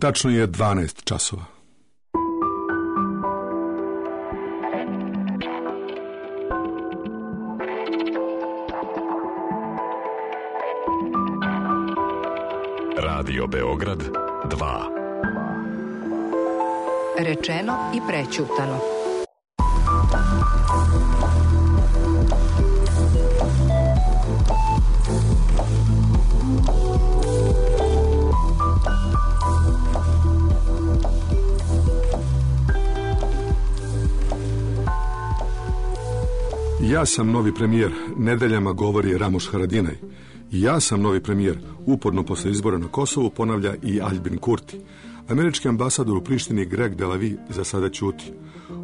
Tačno je 12 časova. Radio Beograd 2. Rečeno i prećutano. Ja sam novi premijer, nedeljama govori Ramuš Haradinaj. Ja sam novi premijer, uporno posle izbora na Kosovu ponavlja i Aljbin Kurti. Američki ambasador u Prištini Greg Delavi za sada ćuti.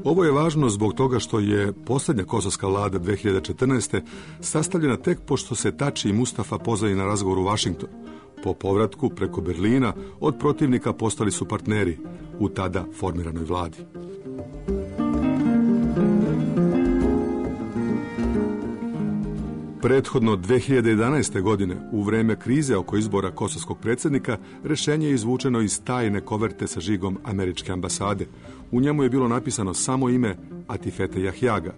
Ovo je važno zbog toga što je posljednja kosovska vlada 2014. sastavljena tek pošto se Tači i Mustafa pozvali na razgovor u Vašington. Po povratku preko Berlina od protivnika postali su partneri u tada formiranoj vladi. Prethodno 2011. godine, u vreme krize oko izbora kosovskog predsjednika, rješenje je izvučeno iz tajne koverte sa žigom američke ambasade. U njemu je bilo napisano samo ime Atifete Jahjaga.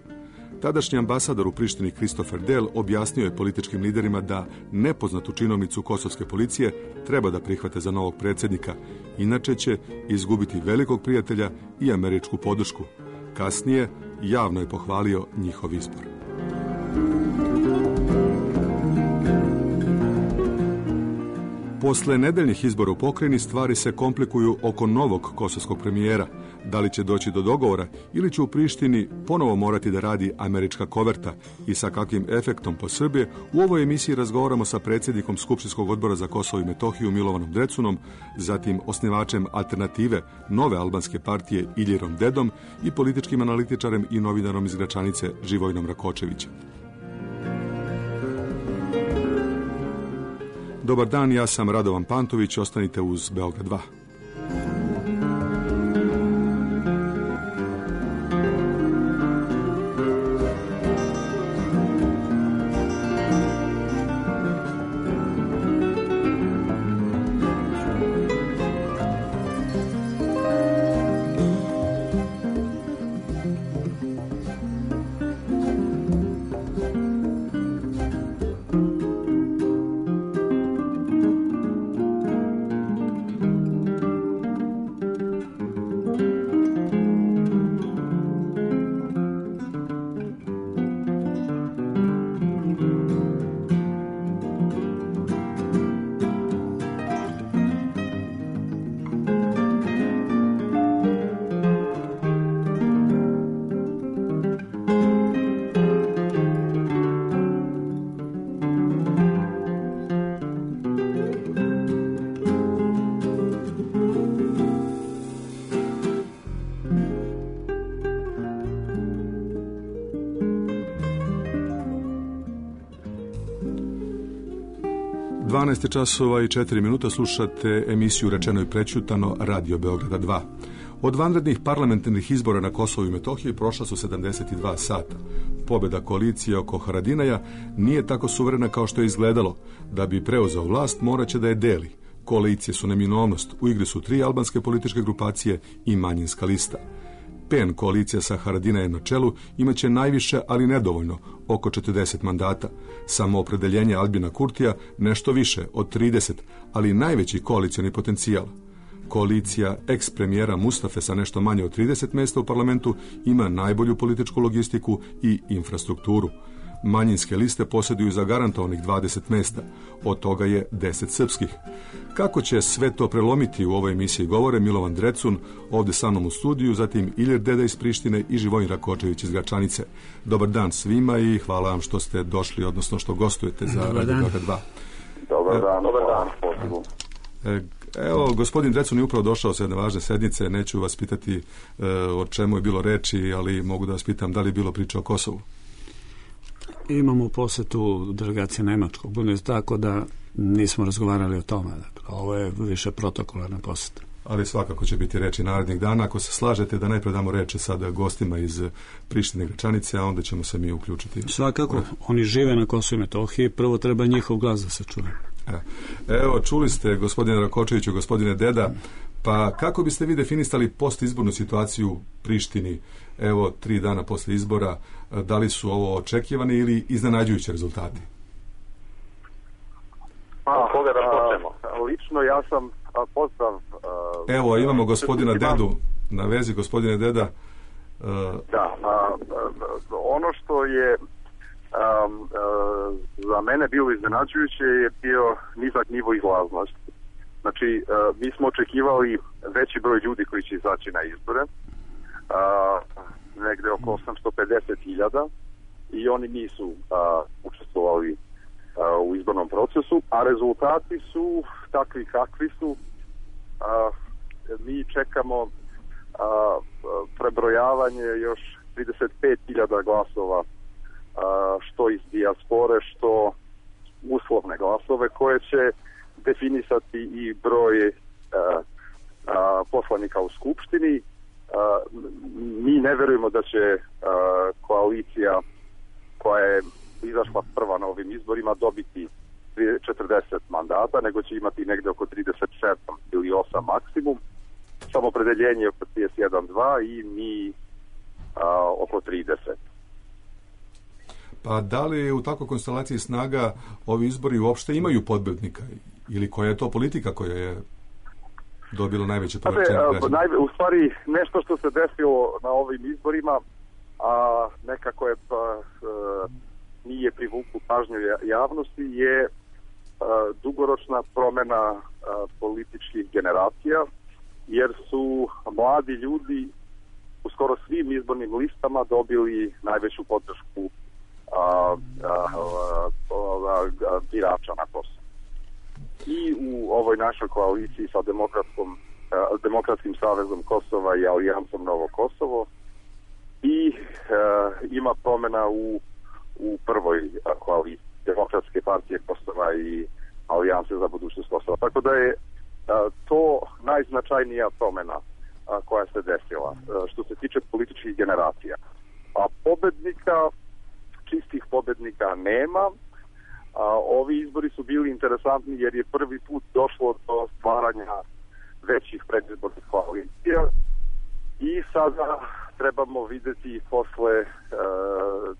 Tadašnji ambasador u Prištini Christopher Dell objasnio je političkim liderima da nepoznatu činovnicu kosovske policije treba da prihvate za novog predsjednika, inače će izgubiti velikog prijatelja i američku podršku. Kasnije javno je pohvalio njihov izbor. Posle nedeljnih izbora u pokrajini stvari se komplikuju oko novog kosovskog premijera. Da li će doći do dogovora ili će u Prištini ponovo morati da radi američka koverta i sa kakvim efektom po Srbije, u ovoj emisiji razgovaramo sa predsjednikom Skupštinskog odbora za Kosovo i Metohiju Milovanom Drecunom, zatim osnivačem alternative nove albanske partije Iljirom Dedom i političkim analitičarem i novinarom iz Gračanice Živojnom Rakočevićem. Dobar dan, ja sam Radovan Pantović, ostanite uz Beograd 2. Časova i 4 minuta slušate emisiju Rečeno i prećutano Radio Beograda 2. Od vanrednih parlamentarnih izbora na Kosovu i Metohiji prošla su 72 sata. Pobjeda koalicije oko Haradinaja nije tako suverena kao što je izgledalo. Da bi preuzeo vlast, moraće da je deli. Koalicije su neminovnost. U igri su 3 albanske političke grupacije i manjinska lista. PEN koalicija sa Haradinajem na čelu imaće najviše, ali nedovoljno, oko 40 mandata. Samo opredeljenje Aljbina Kurtija nešto više od 30, ali najveći koalicioni potencijal. Koalicija eks-premijera Mustafe sa nešto manje od 30 mjesta u parlamentu ima najbolju političku logistiku i infrastrukturu. Manjinske liste posjeduju zagarantovanih 20 mjesta, od toga je 10 srpskih. Kako će sve to prelomiti u ovoj emisiji govore Milovan Drecun, ovdje sa mnom u studiju, zatim Ilir Deda iz Prištine i Živojin Rakočević iz Gračanice. Dobar dan svima i hvala vam što ste došli, odnosno što gostujete za Radio Beograd 2. Dobar dan. Evo, gospodin Drecun je upravo došao sa jedne važne sednice, neću vas pitati o čemu je bilo reči, ali mogu da vas pitam da li je bilo priče o Kosovu. Imamo posjetu delegacije Nemačkog Bundestaga, tako da nismo razgovarali o tome. Dakle, ovo je više protokolarna posjeta. Ali svakako će biti reči narednih dana. Ako se slažete da najprije damo reči sada gostima iz Prištine i Gračanice, a onda ćemo se mi uključiti. Svakako, oni žive na Kosovu i Metohiji, prvo treba njihov glas da se čuje. Evo, čuli ste, gospodine Rakočeviću, gospodine Deda, Pa kako biste vi definisali postizbornu situaciju u Prištini, evo 3 dana posle izbora, da li su ovo očekivani ili iznenađujući rezultati? Koga da počnemo? Lično ja sam pozdrav... Evo, imamo gospodina Dedu na vezi. Gospodine Deda. Da, ono što je za mene bilo iznenađujuće je bio nizak nivo izlaznosti. Znači, mi smo očekivali veći broj ljudi koji će izaći na izbore, negde oko 850.000, i oni nisu učestvovali u izbornom procesu, a rezultati su takvi kakvi su. Mi čekamo prebrojavanje još 35.000 glasova, što iz dijaspore, što uslovne glasove, koje će definisati i broj poslanika u Skupštini. Mi ne verujemo da će koalicija koja je izašla prva na ovim izborima dobiti 40 mandata, nego će imati negde oko 37 ili 8 maksimum. Samopredeljenje je oko 31-2 i mi oko 30. Pa da li u takvoj konstelaciji snaga ovi izbori uopšte imaju pobednika? Ili koja je to politika koja je dobila najveće povećanje građana? U stvari, nešto što se desilo na ovim izborima, a nekako je nije privuklo pažnju javnosti, je dugoročna promena političkih generacija, jer su mladi ljudi u skoro svim izbornim listama dobili najveću podršku birača na Kosovu. I u ovoj našoj koaliciji sa Demokratskim savezom Kosova i Alijansom Novo Kosovo, i ima promjena u prvoj koaliciji Demokratske partije Kosova i Alijanse za budućnost Kosova. Tako da je to najznačajnija promjena koja se desila što se tiče političkih generacija. A čistih pobednika nema. Ovi izbori su bili interesantni jer je prvi put došlo do stvaranja većih predizbornih koalicija, i sada trebamo vidjeti posle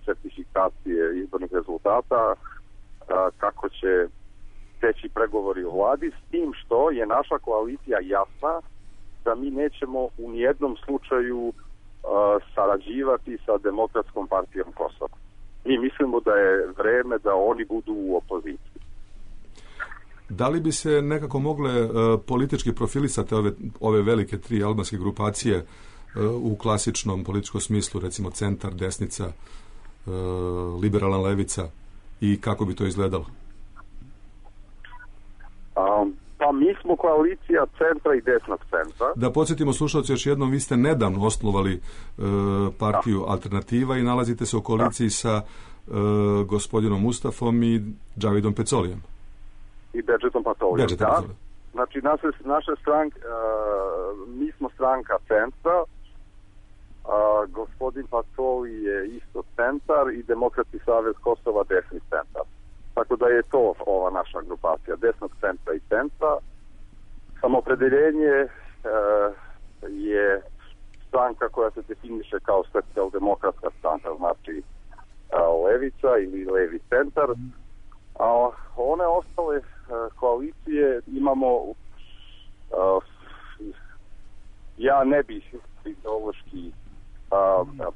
certifikacije izbornih rezultata kako će teći pregovori u vladi, s tim što je naša koalicija jasna da mi nećemo u nijednom slučaju sarađivati sa Demokratskom partijom Kosova. Mi mislimo da je vreme da oni budu u opoziciji. Da li bi se nekako mogle politički profilisati ove velike 3 albanske grupacije u klasičnom političkom smislu, recimo centar, desnica, liberalna levica, i kako bi to izgledalo? Pa mi smo koalicija centra i desnog centra. Da podsjetimo slušalci još jednom, vi ste nedavno osnovali partiju Alternativa i nalazite se u koaliciji sa gospodinom Mustafom i Džavidom Pecolijem. I Bedžetom Patolijom, da. Znači, naše stranke, mi smo stranka centra, gospodin Patoli je isto centar i Demokratski savez Kosova desni centar. Tako da je to ova naša grupacija, desnog centra i centra. Samopredeljenje je stranka koja se definiše kao socijaldemokratska stranka, znači levica ili levi centar. A one ostale koalicije imamo, ja ne bih ideološki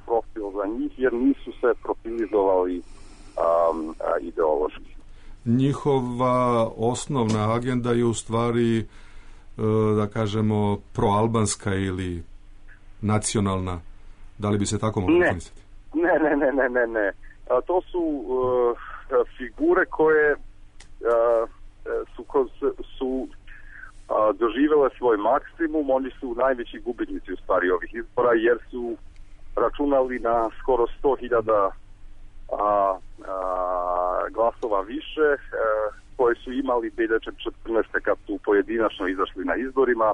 profil za njih, jer nisu se profilizovali ideološki. Njihova osnovna agenda je u stvari, da kažemo, proalbanska ili nacionalna. Da li bi se tako moglo definisati? Ne. To su figure koje su doživjele svoj maksimum. Oni su najveći gubitnici u stvari ovih izbora, jer su računali na skoro 100.000 glasova više koje su imali 2014. kad su pojedinačno izašli na izborima.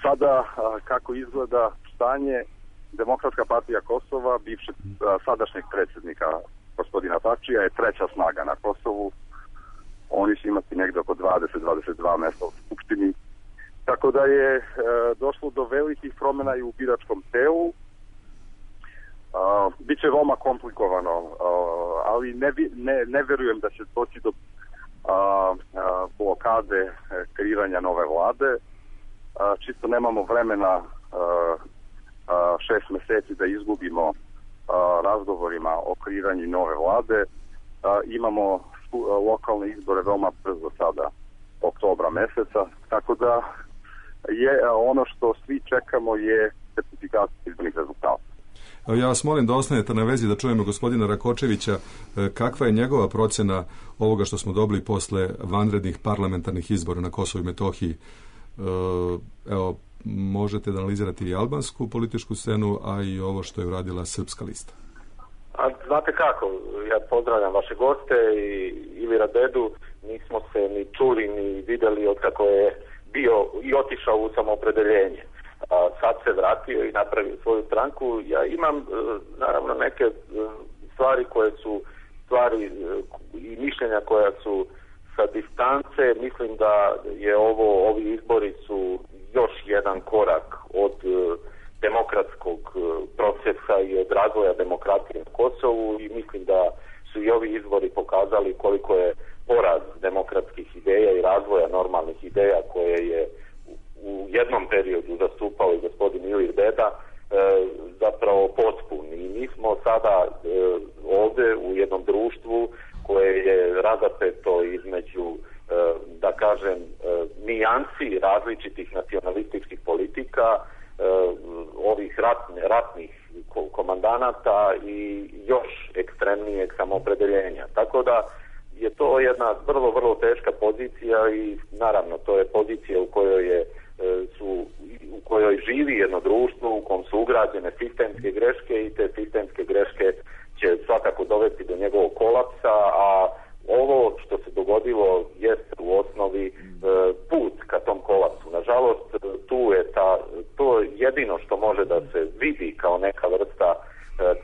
Sada kako izgleda stanje, Demokratska partija Kosova, bivšeg sadašnjeg predsjednika gospodina Tačija, je treća snaga na Kosovu. Oni će imati negdje oko 20-22 mjesta u Skupštini. Tako da je došlo do velikih promjena i u biračkom telu. Biće veoma komplikovano, ali ne verujem da će doći do blokade kreiranja nove vlade. Čisto nemamo vremena 6 mjeseci da izgubimo razgovorima o kreiranju nove vlade. Imamo lokalne izbore veoma brzo sada, oktobra mjeseca, tako da je ono što svi čekamo je certifikacija izbornih rezultata. Ja vas molim da ostanete na vezi da čujemo gospodina Rakočevića, kakva je njegova procjena ovoga što smo dobili posle vanrednih parlamentarnih izbora na Kosovu i Metohiji. Evo, možete da analizirate i albansku političku scenu, a i ovo što je uradila Srpska lista. A znate kako, ja pozdravljam vaše goste i Ilira Dedu, nismo se ni čuli ni vidjeli od kako je bio i otišao u samoopredeljenje. Sad se vratio i napravio svoju stranku. Ja imam naravno neke stvari koje su stvari i mišljenja koja su sa distance. Mislim da je ovi izbori su još jedan korak od demokratskog procesa i od razvoja demokratije na Kosovu i mislim da su i ovi izbori pokazali koliko je poraz demokratskih ideja i razvoja normalnih ideja koje je u jednom periodu zastupao i gospodin Ilir Deda zapravo potpun. I mi smo sada ovdje u jednom društvu koje je razapeto između da kažem nijansi različitih nacionalističkih politika, ovih ratnih komandanata i još ekstremnijeg samoopredeljenja. Tako da je to jedna vrlo, vrlo teška pozicija i naravno to je pozicija u kojoj živi jedno društvo u kom su ugrađene sistemske greške i te sistemske greške će svakako dovesti do njegovog kolapsa, a ovo što se dogodilo jest u osnovi put ka tom kolapsu. Nažalost, to je jedino što može da se vidi kao neka vrsta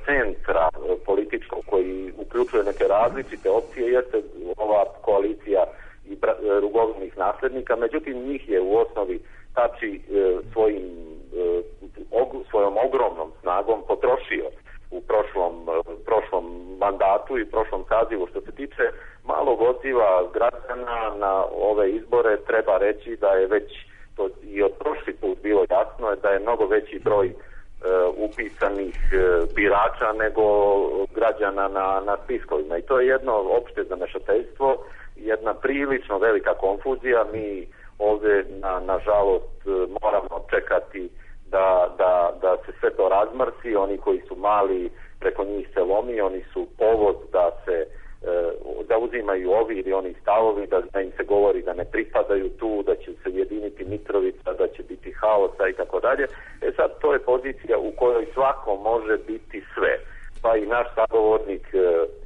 centra političkog koji uključuje neke različite opcije, jeste ova koalicija i Rugovinih nasljednika, međutim njih je u osnovi Tači svojom ogromnom snagom potrošio u prošlom mandatu i prošlom sazivu. Što se tiče malog odziva građana na ove izbore, treba reći da je već to i od prošli put bilo jasno da je mnogo veći broj upisanih birača nego građana na spiskovima. I to je jedno opšte zamešateljstvo, jedna prilično velika konfuzija. Mi ovdje nažalost moramo čekati da se sve to razmrsi. Oni koji su mali, preko njih se lomi, oni su povod da uzimaju ovi ili oni stavovi, da im se govori da ne pripadaju tu, da će se ujediniti Mitrovica, da će biti haosa i tako dalje. Sad to je pozicija u kojoj svako može biti sve. Pa i naš sagovornik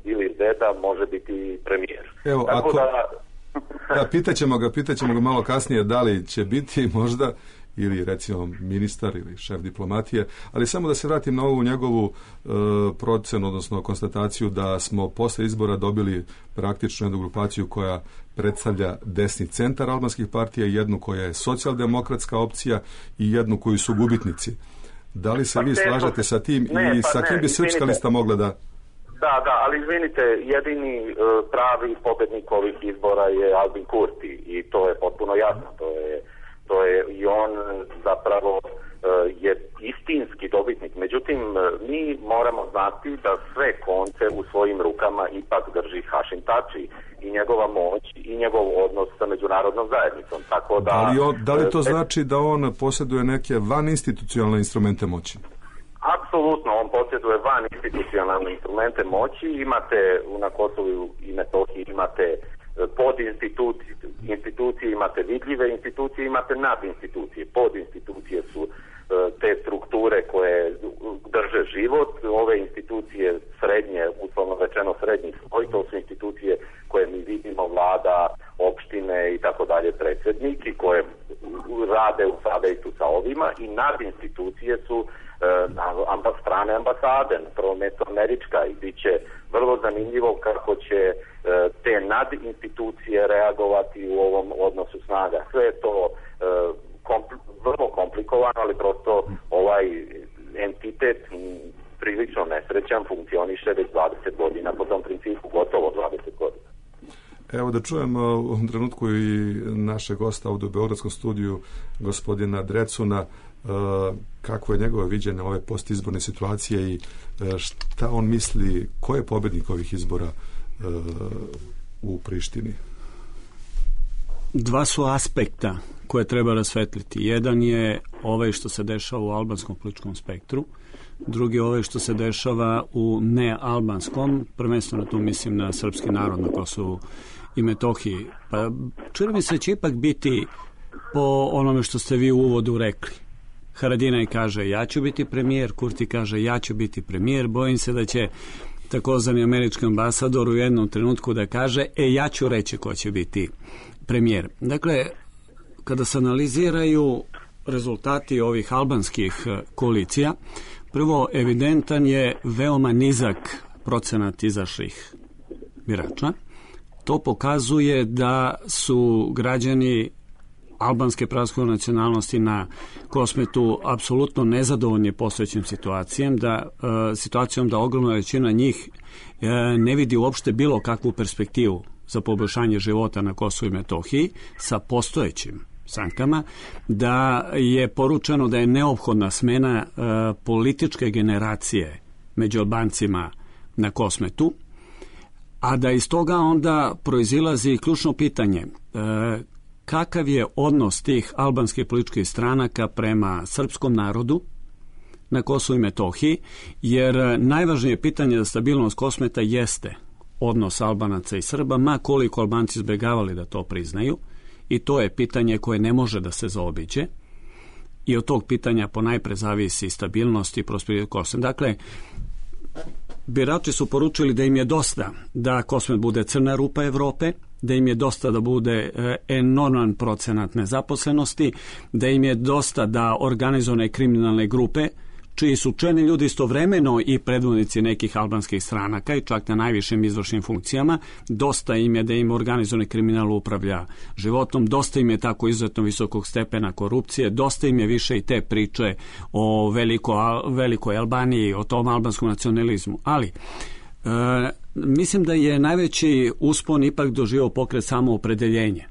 Ilir Deda može biti premijer. Evo, tako pitaćemo ga malo kasnije da li će biti možda ili recimo ministar ili šef diplomatije, ali samo da se vratim na ovu njegovu procenu, odnosno konstataciju da smo posle izbora dobili praktično jednu grupaciju koja predstavlja desni centar albanskih partija, jednu koja je socijaldemokratska opcija i jednu koju su gubitnici. Da li se vi slažete sa tim i sa kim bi Srpska lista mogla da... Da, ali izvinite, jedini pravi pobednik ovih izbora je Albin Kurti i to je potpuno jasno. To je i on zapravo je istinski dobitnik. Međutim, mi moramo znati da sve konce u svojim rukama ipak drži Hašim Tači i njegova moć i njegov odnos sa međunarodnom zajednicom. Tako da li to znači da on posjeduje neke vaninstitucionalne instrumente moći? Apsolutno, on posjeduje vaninstitucionalne instrumente moći. Imate na Kosovu i Metohiji imate institucije, imate vidljive institucije, imate nadinstitucije. Podinstitucije su te strukture koje drže život. Ove institucije srednje, uslovno rečeno srednjih sloj, to su institucije koje mi vidimo, vlada, opštine i tako dalje, predsjednik i koje rade u savjetu sa ovima, i nadinstitucije su strane ambasade, prvo mesto američka, i bit će vrlo zanimljivo kako će te nadinstitucije reagovati u ovom odnosu snaga. Sve je to vrlo komplikovan, ali prosto ovaj entitet prilično nesrećan funkcioniše već 20 godina, po tom principu gotovo 20 godina. Evo da čujemo u ovom trenutku i našeg gosta ovdje u Beogradskom studiju, gospodina Drecuna, kako je njegovo viđenje ove postizborne situacije i šta on misli, ko je pobednik ovih izbora u Prištini? Dva su aspekta koje treba rasvetliti. Jedan je ovaj što se dešava u albanskom političkom spektru, drugi je ovaj što se dešava u nealbanskom, prvenstveno tu mislim na srpski narod na Kosovu i Metohiji. Pa čini mi se će ipak biti po onome što ste vi u uvodu rekli. Haradinaj kaže ja ću biti premijer, Kurti kaže ja ću biti premijer, bojim se da će takozvani američki ambasador u jednom trenutku da kaže ja ću reći ko će biti premijer. Dakle, kada se analiziraju rezultati ovih albanskih koalicija, prvo evidentan je veoma nizak procenat izašlih birača. To pokazuje da su građani albanske pravoslavne nacionalnosti na Kosmetu apsolutno nezadovoljni postojećim situacijom da ogromna većina njih ne vidi uopšte bilo kakvu perspektivu za poboljšanje života na Kosovu i Metohiji sa postojećim strankama, da je poručeno da je neophodna smena političke generacije među Albancima na Kosmetu, a da iz toga onda proizilazi ključno pitanje kakav je odnos tih albanskih političkih stranaka prema srpskom narodu na Kosovu i Metohiji, jer najvažnije pitanje za stabilnost Kosmeta jeste odnos Albanaca i Srba, ma koliko Albanci izbjegavali da to priznaju, i to je pitanje koje ne može da se zaobiđe i od tog pitanja ponajpre zavisi stabilnost i prosperitet Kosmeta. Dakle, birači su poručili da im je dosta da Kosmet bude crna rupa Evrope, da im je dosta da bude enorman procenat nezaposlenosti, da im je dosta da organizovane kriminalne grupe, čiji su čelni ljudi istovremeno i predvodnici nekih albanskih stranaka i čak na najvišim izvršnim funkcijama, dosta im je da im organizovani kriminal upravlja životom, dosta im je tako izuzetno visokog stepena korupcije, dosta im je više i te priče o velikoj Albaniji, o tom albanskom nacionalizmu. Ali mislim da je najveći uspon ipak doživio pokret samoopredeljenje,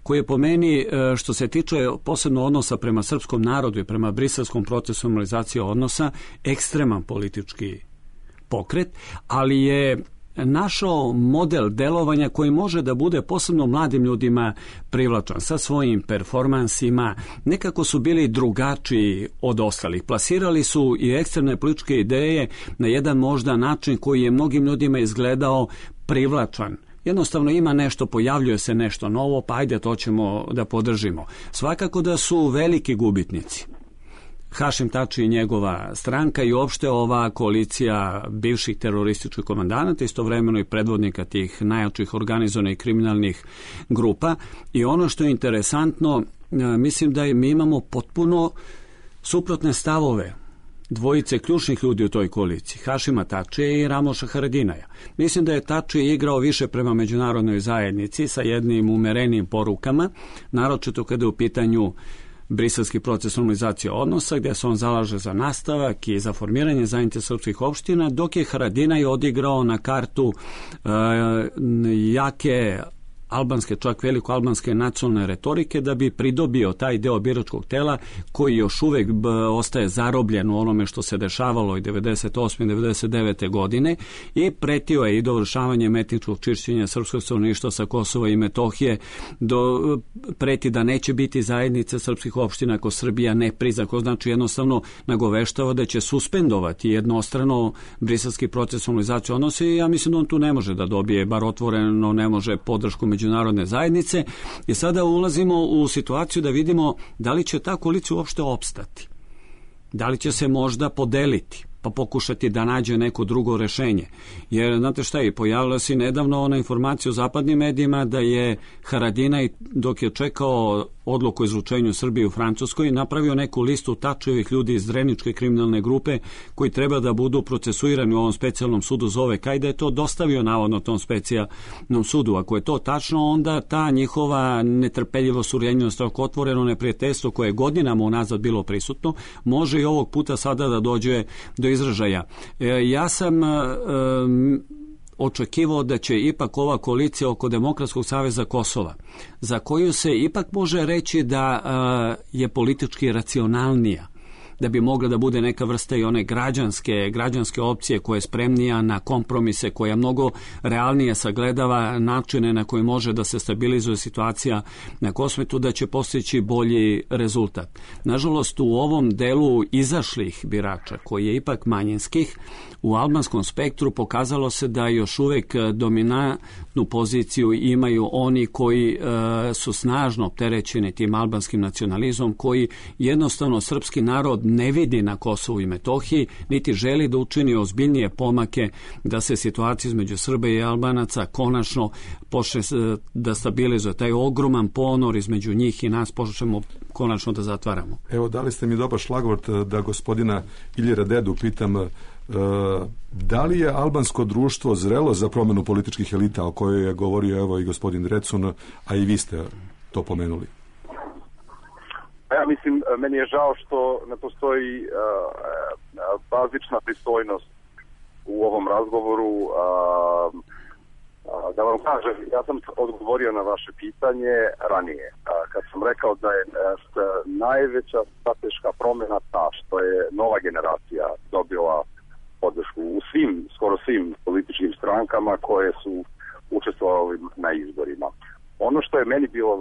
koji je po meni, što se tiče posebno odnosa prema srpskom narodu i prema briselskom procesu normalizacije odnosa, ekstreman politički pokret, ali je našao model delovanja koji može da bude posebno mladim ljudima privlačan sa svojim performansima. Nekako su bili drugačiji od ostalih. Plasirali su i ekstremne političke ideje na jedan možda način koji je mnogim ljudima izgledao privlačan. Jednostavno ima nešto, pojavljuje se nešto novo, pa ajde to ćemo da podržimo. Svakako da su veliki gubitnici Hašim Tači i njegova stranka i uopšte ova koalicija bivših terorističkih komandanata, istovremeno i predvodnika tih najjačih organizovanih kriminalnih grupa. I ono što je interesantno, mislim da mi imamo potpuno suprotne stavove dvojice ključnih ljudi u toj koaliciji, Hašima Tačija i Ramoša Haradinaja. Mislim da je Tači igrao više prema međunarodnoj zajednici sa jednim umerenim porukama, naročito kada je u pitanju briselski proces normalizacije odnosa, gdje se on zalaže za nastavak i za formiranje zajednice srpskih opština, dok je Haradinaj odigrao na kartu jake albanske, čak veliko albanske nacionalne retorike da bi pridobio taj deo biračkog tela koji još uvek ostaje zarobljen u onome što se dešavalo i 98. i 99. godine i pretio je i dovršavanjem etničkog čišćenja srpskog stanovništva sa Kosova i Metohije, preti da neće biti zajednice srpskih opština ako Srbija ne prizna, znači jednostavno nagoveštava da će suspendovati jednostrano briselski proces normalizacije odnosa i ja mislim da on tu ne može da dobije, bar otvoreno ne može podršku međunarodne zajednice. I sada ulazimo u situaciju da vidimo da li će ta koalicija uopšte opstati. Da li će se možda podeliti, pa pokušati da nađe neko drugo rešenje. Jer, znate šta je, pojavila se nedavno ona informacija u zapadnim medijima da je Haradinaj, dok je čekao odluku o izručenju Srbije u Francuskoj, napravio neku listu Tačevih ljudi iz Dreničke kriminalne grupe koji treba da budu procesuirani u ovom specijalnom sudu za OVK i da je to dostavio navodno tom specijalnom sudu. Ako je to tačno, onda ta njihova netrpeljivost, urjenjenost, otvoreno neprijateljstvo koje je godinama unazad bilo prisutno, može i ovog puta sada da dođe do izražaja. Ja sam očekivao da će ipak ova koalicija oko Demokratskog saveza Kosova, za koju se ipak može reći da je politički racionalnija, da bi mogla da bude neka vrsta i one građanske opcije koja je spremnija na kompromise, koja mnogo realnije sagledava načine na koji može da se stabilizuje situacija na Kosmetu, da će postići bolji rezultat. Nažalost, u ovom delu izašlih birača, koji je ipak manjinskih, u albanskom spektru pokazalo se da još uvek dominantnu poziciju imaju oni koji su snažno opterećeni tim albanskim nacionalizmom, koji jednostavno srpski narod ne vidi na Kosovu i Metohiji, niti želi da učini ozbiljnije pomake da se situacija između Srba i Albanaca konačno počne da stabilizuje. Taj ogroman ponor između njih i nas počnemo konačno da zatvaramo. Evo, dali ste mi dobar šlagvort da gospodina Iljera Dedu pitam da li je albansko društvo zrelo za promjenu političkih elita o kojoj je govorio evo i gospodin Recun, a i vi ste to pomenuli? Ja mislim, meni je žao što ne postoji bazična pristojnost u ovom razgovoru. Da vam kažem, ja sam odgovorio na vaše pitanje ranije, kad sam rekao da je najveća strateška promjena ta što je nova generacija dobila podršku u skoro svim političkim strankama koje su učestvovali na izborima. Ono što je meni bilo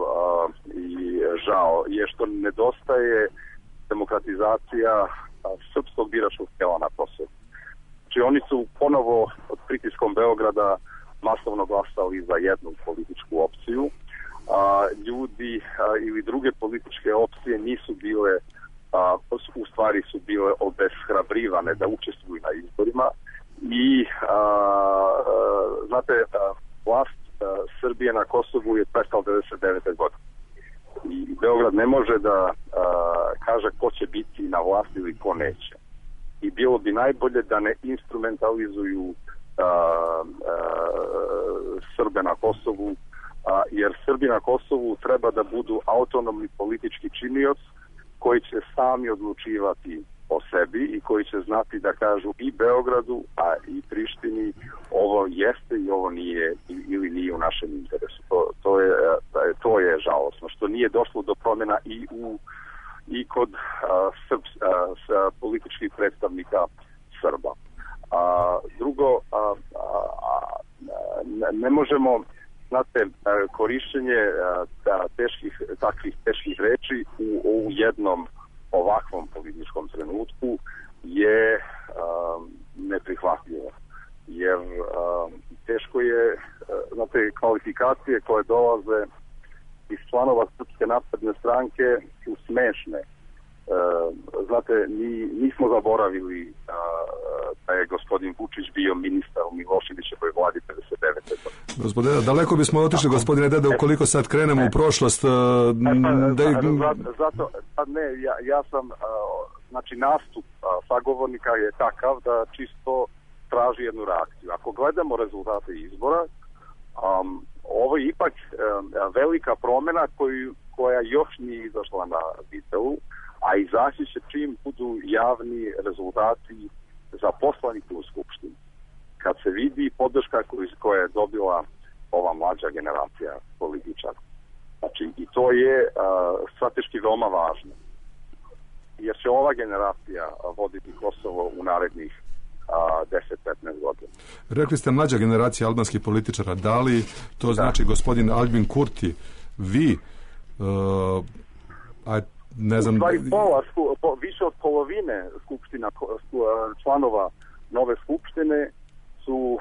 i žao je što nedostaje demokratizacija srpskog biračkog tela na Kosovu. Znači oni su ponovo pod pritiskom Beograda masovno glasali za jednu političku opciju. Ljudi ili druge političke opcije nisu bile, u stvari su bile obeshrabrivane da učestvuju na izborima i znate, vlast Srbije na Kosovu je prestala 99. godine. I Beograd ne može da kaže ko će biti na vlasti ili ko neće. I bilo bi najbolje da ne instrumentalizuju Srbe na Kosovu, jer Srbi na Kosovu treba da budu autonomni politički činioc koji će sami odlučivati o sebi i koji će znati da kažu i Beogradu, a i Prištini ovo jeste i ovo nije ili nije u našem interesu. To je žalosno, što nije došlo do promjena i kod političkih predstavnika Srba. Drugo, ne možemo, znate, korišćenje takvih teških reči u jednom ovakvom političkom trenutku je neprihvatljivo. Jer teško je, znate, kvalifikacije koje dolaze iz članova Srpske napredne stranke su smešne. Znate, nismo zaboravili da je gospodin Vučić bio ministar u Miloševićevoj vladi 59. Gospodine, daleko bismo otišli, gospodine Dede, ukoliko sad krenemo u prošlost. Zato, ja sam, znači nastup sagovornika je takav da čisto traži jednu reakciju. Ako gledamo rezultate izbora, ovo je ipak velika promjena koja još nije izašla na videu, a izaći će čim budu javni rezultati za poslanike u Skupštini. Kad se vidi podrška koja je dobila ova mlađa generacija političara. Znači, i to je strateški veoma važno. Jer će ova generacija voditi Kosovo u narednih 10-15 godina. Rekli ste mlađa generacija albanskih političara. Da li to znači gospodin Albin Kurti, vi, ne znam... Više od polovine članova nove skupštine su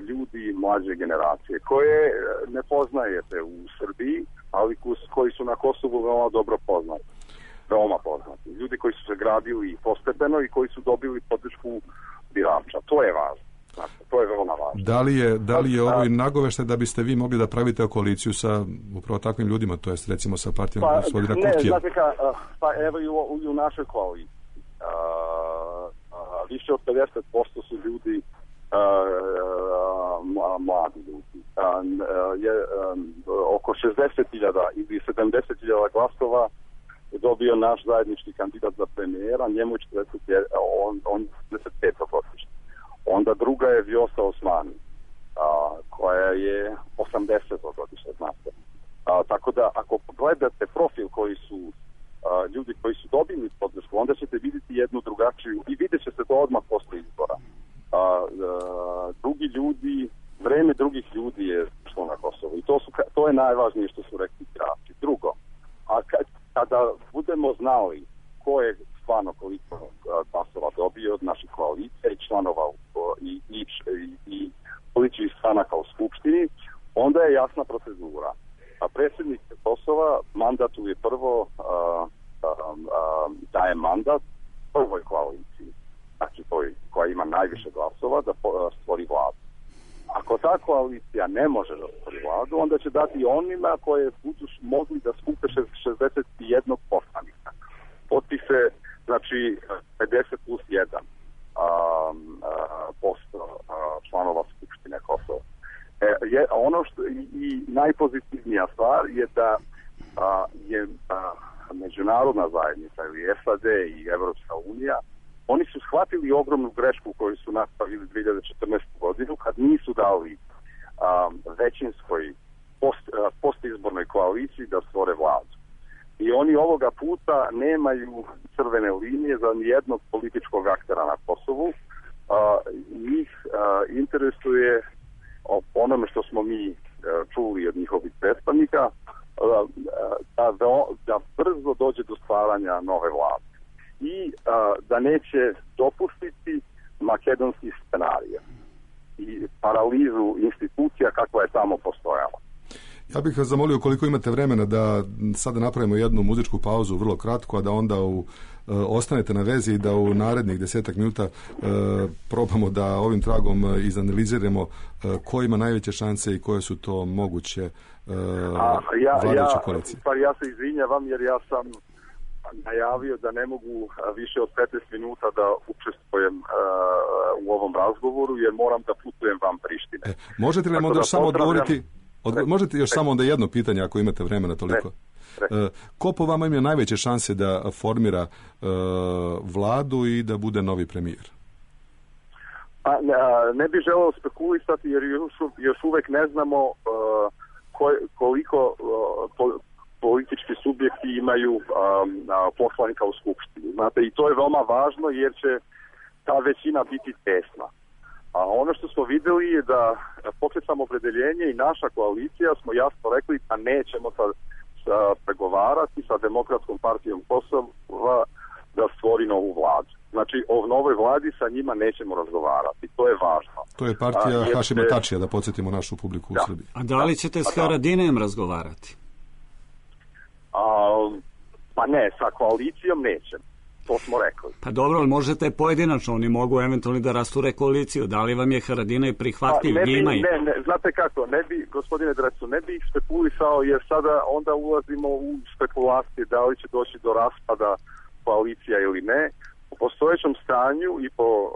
ljudi mlađe generacije koje ne poznajete u Srbiji, ali koji su na Kosovu veoma dobro poznati. Veoma poznati. Ljudi koji su se gradili postepeno i koji su dobili podršku birača. To je važno. Znači, to je veoma važno. Da li je ovo i nagoveštaj da biste vi mogli da pravite koaliciju sa upravo takvim ljudima, to jest recimo sa partijom gospodina Kurtija? Ne, znate pa evo i u našoj koaliciji. Više od 50% su ljudi mladi ljudi. Oko 60.000 ili 70.000 glasova je dobio naš zajednički kandidat za premijera, njemu 40, on 45 godište. Onda druga je Vjosa Osmani, koja je 80 godište, znate. Tako da ako pogledate profil koji su ljudi koji su dobili podršku, onda ćete vidjeti jednu drugačiju i vidjet će se to odmah posle izbora. Drugi ljudi, vreme drugih ljudi je šlo na Kosovo i to je najvažnije što su rekli birači. Drugo, a kada budemo znali ko je stvarno koliko glasova dobio od naših koalicija i članova i političkih stranaka u Skupštini, onda je jasna procedura. A predsjednik Kosova mandatuje prvo, daje mandat prvoj koaliciji, znači toj koja ima najviše glasova, da stvori vladu. Ako ta koalicija ne može da stvori vladu, onda će dati onima koje budu mogli da skupe 61 poslanika. Potpise, znači 50 plus 1 posto članova Skupštine Kosova. Ono što i najpozitivnija stvar je da je međunarodna zajednica ili SAD i Evropska unija, oni su shvatili ogromnu grešku koju su napravili 2014. godinu kad nisu dali većinskoj postizbornoj koaliciji da stvore vladu. I oni ovoga puta nemaju crvene linije za nijednog političkog aktera na Kosovu. Njih interesuje onome što smo mi čuli od njihovih predstavnika, da brzo dođe do stvaranja nove vlade i da neće dopustiti makedonski scenarij i paralizu institucija kakva je tamo postojala. Ja bih vas zamolio koliko imate vremena da sada napravimo jednu muzičku pauzu vrlo kratko, a da onda ostanete na vezi i da u narednih 10 minuta probamo da ovim tragom izanaliziramo ko ima najveće šanse i koje su to moguće vladajuće koalicije. Ja se izvinjavam jer ja sam najavio da ne mogu više od 15 minuta da učestvujem u ovom razgovoru jer moram da putujem van Prištine. Možete li nam onda samo odgovoriti? Možete još samo onda jedno pitanje ako imate vremena toliko. Ko po vama ima najveće šanse da formira vladu i da bude novi premijer? Ne bih želeo spekulisati jer još uvek ne znamo koliko politički subjekti imaju poslanika u Skupštini. Znate, i to je veoma važno jer će ta većina biti tesna. A ono što smo vidjeli je da Pokret Samoopredjeljenje i naša koalicija smo jasno rekli da nećemo pregovarati sa Demokratskom partijom Kosova da stvori novu vladu. Znači, o novoj vladi sa njima nećemo razgovarati. To je važno. To je partija Hašima Tačija, da podsjetimo našu publiku u Srbiji. A da li ćete s Haradinajem razgovarati? Pa ne, sa koalicijom nećemo. To smo rekli. Pa dobro, ali možete pojedinačno, oni mogu eventualno da rasture koaliciju. Da li vam je Haradinaj prihvatljiv? Ne, znate kako, gospodine Drecu, ne bi ih spekulisao jer sada onda ulazimo u spekulacije da li će doći do raspada koalicija ili ne. Po postojećem stanju i po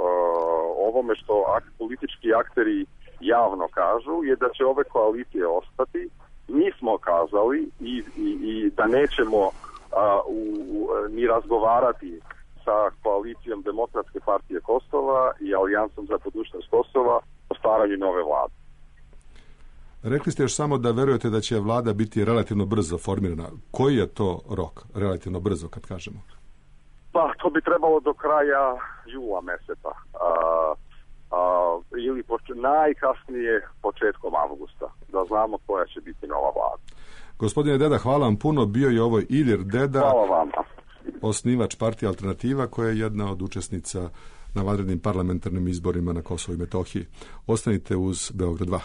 ovome što politički akteri javno kažu je da će ove koalicije ostati. Mi smo kazali i da nećemo ni razgovarati sa koalicijom Demokratske partije Kosova i Alijansom za budućnost Kosova o stvaranju nove vlade. Rekli ste još samo da verujete da će vlada biti relativno brzo formirana. Koji je to rok, relativno brzo kad kažemo? Pa, to bi trebalo do kraja jula meseca. Ili najkasnije početkom avgusta, da znamo koja će biti nova vlada. Gospodine Deda, hvala vam puno. Bio je ovo Ilir Deda, hvala vam, osnivač partije Alternativa, koja je jedna od učesnica na vanrednim parlamentarnim izborima na Kosovu i Metohiji. Ostanite uz Beograd 2.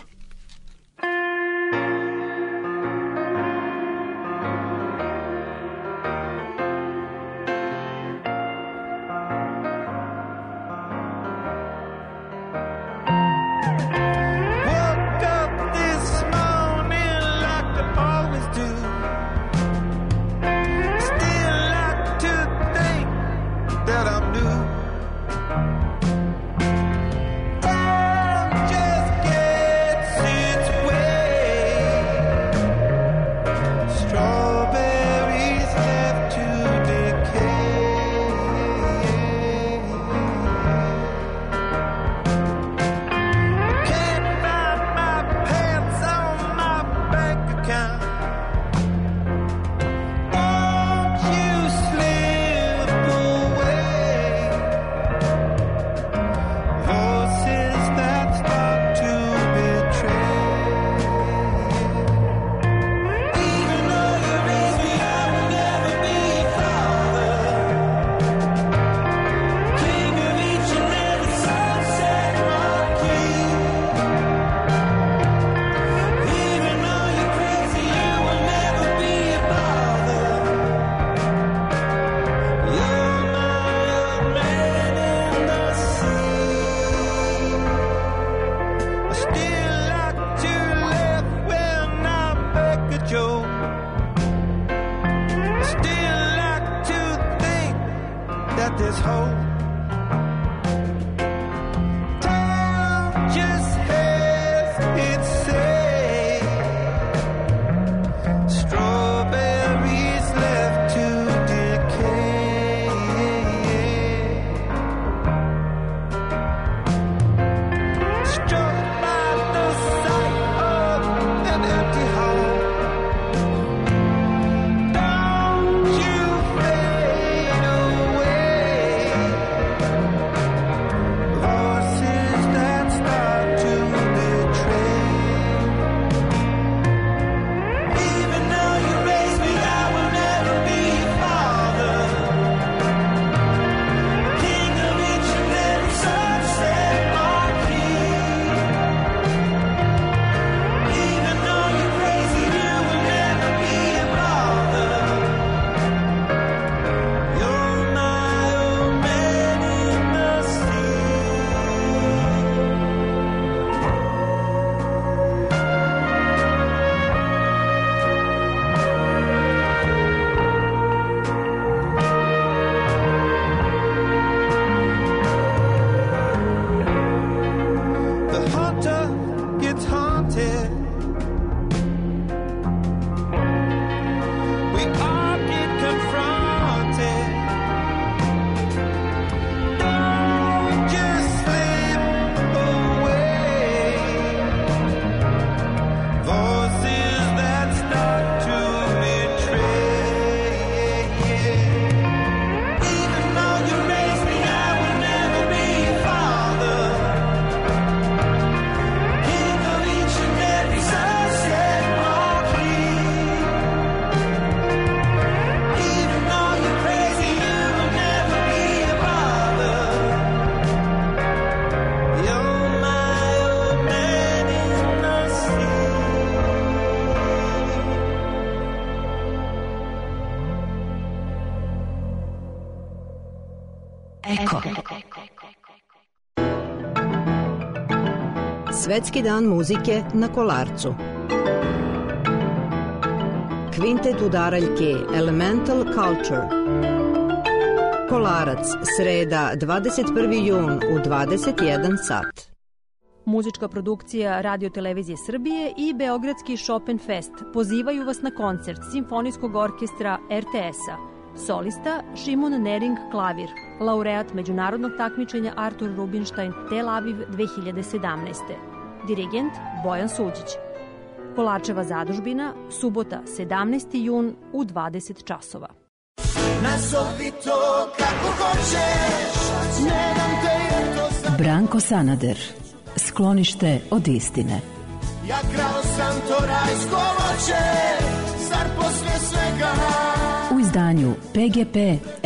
but there's hope. Time just has its say. Strawberries left to decay. Struck by the sight of an empty home. Don't you fade away. Voices that start to betray. Even though you raised me, I will never be your father. King of each and every sunset marquee. Even though you're crazy, you will never be a bother. You're my old man in the sea. The hunter gets haunted. We all get confronted. Don't just slip away. Voices that start to betray. Even though you raised me, I will never be your father. King of each and every sunset marquee. Even though you're crazy, you will never be a bother. You're my old man in the sea. Eko. Svetski dan muzike na Kolarcu. Kvintet udaraljke Elemental Culture. Kolarac, sreda, 21. jun u 21 sat. Muzička produkcija Radio-televizije Srbije i Beogradski Chopin Fest pozivaju vas na koncert Simfonijskog orkestra RTS-a. Solista Šimon Nering klavir, laureat međunarodnog takmičenja Artur Rubinstein Tel Aviv 2017. Dirigent Bojan Suđić. Kolarčeva zadužbina, subota 17. jun u 20 časova. Nazovi to kako hoćeš, ne dam te jer to sam. Branko Sanader, sklonište od istine. Ja krao sam to rajsko voće, zar posle svega U izdanju PGP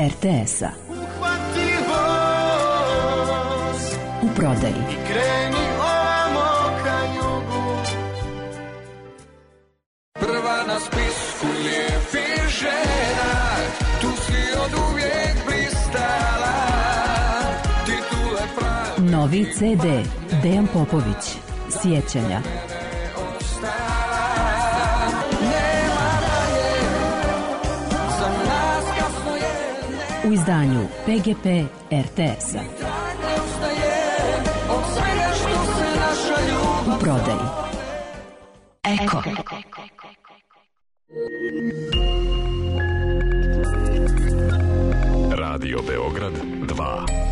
RTS-a. uhvati voz U prodaji. i kreni ovamo ka jugu. Prva na spisku lijepih žena, tu si od uvijek pristala, titule pravi. Novi CD Dejan Popović, Sjećanja. U izdanju PGP RTS-a. U prodaji. Eko. Radio Beograd 2.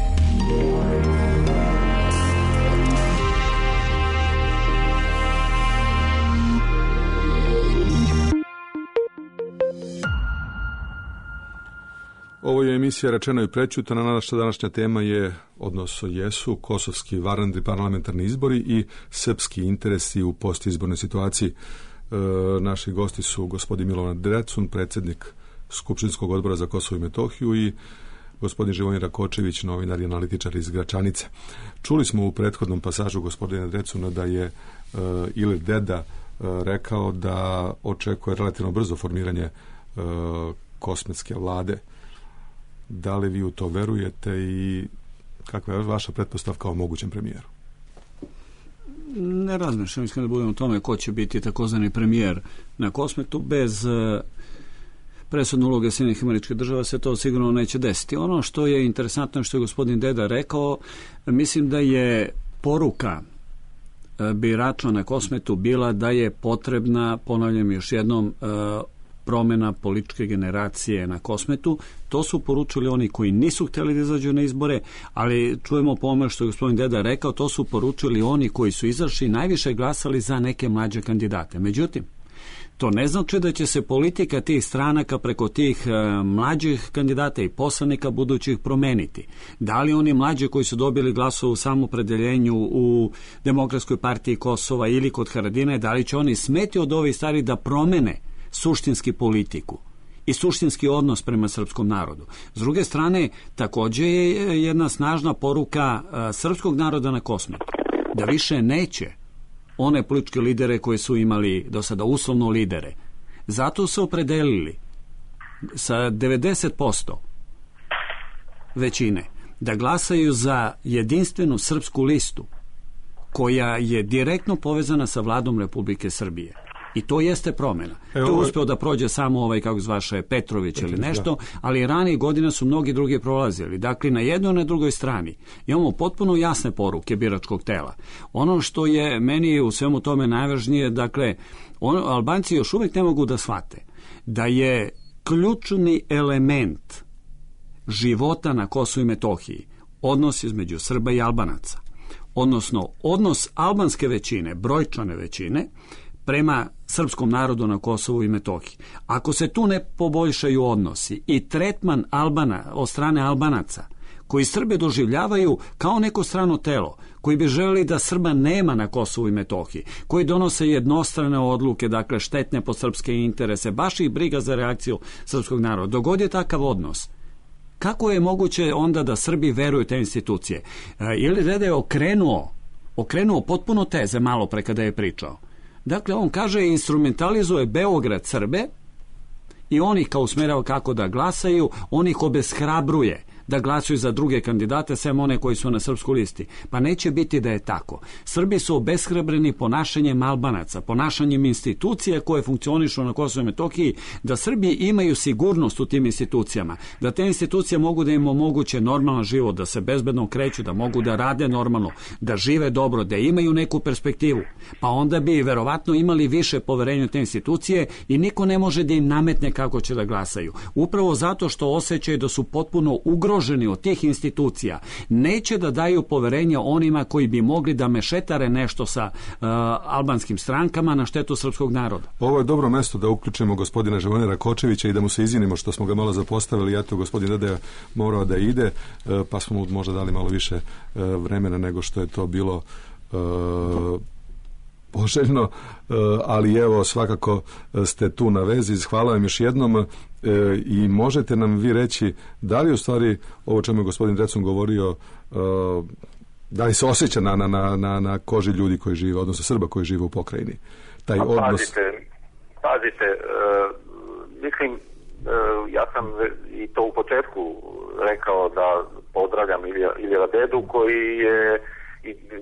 Ovo je emisija Rečeno i prećutano. Naša današnja tema je, odnosno jesu, kosovski vanredni parlamentarni izbori i srpski interesi u postizbornoj situaciji. Naši gosti su gospodin Milovan Drecun, predsjednik Skupštinskog odbora za Kosovo i Metohiju, i gospodin Živojin Rakočević, novinar i analitičar iz Gračanice. Čuli smo u prethodnom pasažu gospodina Drecuna da je Ilir Deda rekao da očekuje relativno brzo formiranje kosmetske vlade. Da li vi u to verujete i kakva je vaša pretpostavka o mogućem premijeru? Ne razmišljam, iskreno da budem o tome ko će biti takozvani premijer na Kosmetu bez presudne uloge Sjedinjenih Američkih Država se to sigurno neće desiti. Ono što je interesantno, što je gospodin Deda rekao, mislim da je poruka birača na Kosmetu bila da je potrebna, ponavljam još jednom, promjena političke generacije na Kosmetu. To su poručili oni koji nisu htjeli da izađu na izbore, ali čujemo po ome što je gospodin Deda rekao, to su poručili oni koji su izašli i najviše glasali za neke mlađe kandidate. Međutim, to ne znači da će se politika tih stranaka preko tih mlađih kandidata i poslanika budućih promeniti. Da li oni mlađi koji su dobili glasove u samopredeljenju u Demokratskoj partiji Kosova ili kod Haradine, da li će oni smeti od ovih stari da promene suštinski politiku i suštinski odnos prema srpskom narodu. S druge strane, također je jedna snažna poruka srpskog naroda na Kosmetu, da više neće one političke lidere koje su imali do sada, uslovno lidere. Zato su opredelili sa 90% većine da glasaju za jedinstvenu srpsku listu koja je direktno povezana sa vladom Republike Srbije. I to jeste promjena. To je uspeo da prođe samo kako zvaše Petrović ili nešto, ali ranije godina su mnogi drugi prolazili. Dakle, na jednoj i na drugoj strani imamo potpuno jasne poruke biračkog tela. Ono što je meni u svemu tome najvažnije, dakle, Albanci još uvijek ne mogu da shvate da je ključni element života na Kosovu i Metohiji odnos između Srba i Albanaca. Odnosno, odnos albanske većine, brojčane većine, prema srpskom narodu na Kosovu i Metohiji. Ako se tu ne poboljšaju odnosi i tretman Albana od strane Albanaca, koji Srbe doživljavaju kao neko strano telo, koji bi želeli da Srba nema na Kosovu i Metohiji, koji donose jednostrane odluke, dakle štetne po srpske interese, baš i briga za reakciju srpskog naroda. Dogod je takav odnos, kako je moguće onda da Srbi veruju te institucije? Ili Deda je okrenuo potpuno teze malo pre kada je pričao. Dakle, on kaže, instrumentalizuje Beograd Srbe i on ih kao usmerava kako da glasaju, on ih obeshrabruje da glasuju za druge kandidate, sem one koji su na srpskoj listi. Pa neće biti da je tako. Srbi su obeshrabreni ponašanjem Albanaca, ponašanjem institucija koje funkcionišu na Kosovu i Metohiji, da Srbi imaju sigurnost u tim institucijama, da te institucije mogu da im omoguće normalan život, da se bezbedno kreću, da mogu da rade normalno, da žive dobro, da imaju neku perspektivu. Pa onda bi verovatno imali više poverenja u te institucije i niko ne može da im nametne kako će da glasaju. Upravo zato što osjećaju da su potpuno ugroženi od tih institucija, neće da daju poverenja onima koji bi mogli da mešetare nešto sa albanskim strankama na štetu srpskog naroda. Ovo je dobro mesto da uključimo gospodina Živojina Kočevića i da mu se izvinimo što smo ga malo zapostavili. Eto, gospodin Deda je morao da ide, pa smo mu možda dali malo više vremena nego što je to bilo poželjno, ali evo, svakako ste tu na vezi. Hvala vam još jednom i možete nam vi reći da li u stvari ovo čemu je gospodin Drecun govorio, da li se osjeća na koži ljudi koji žive, odnosno Srba koji žive u pokrajini, taj odnos? Pazite, mislim, ja sam i to u početku rekao da pozdravljam Ilija Dedu, koji je,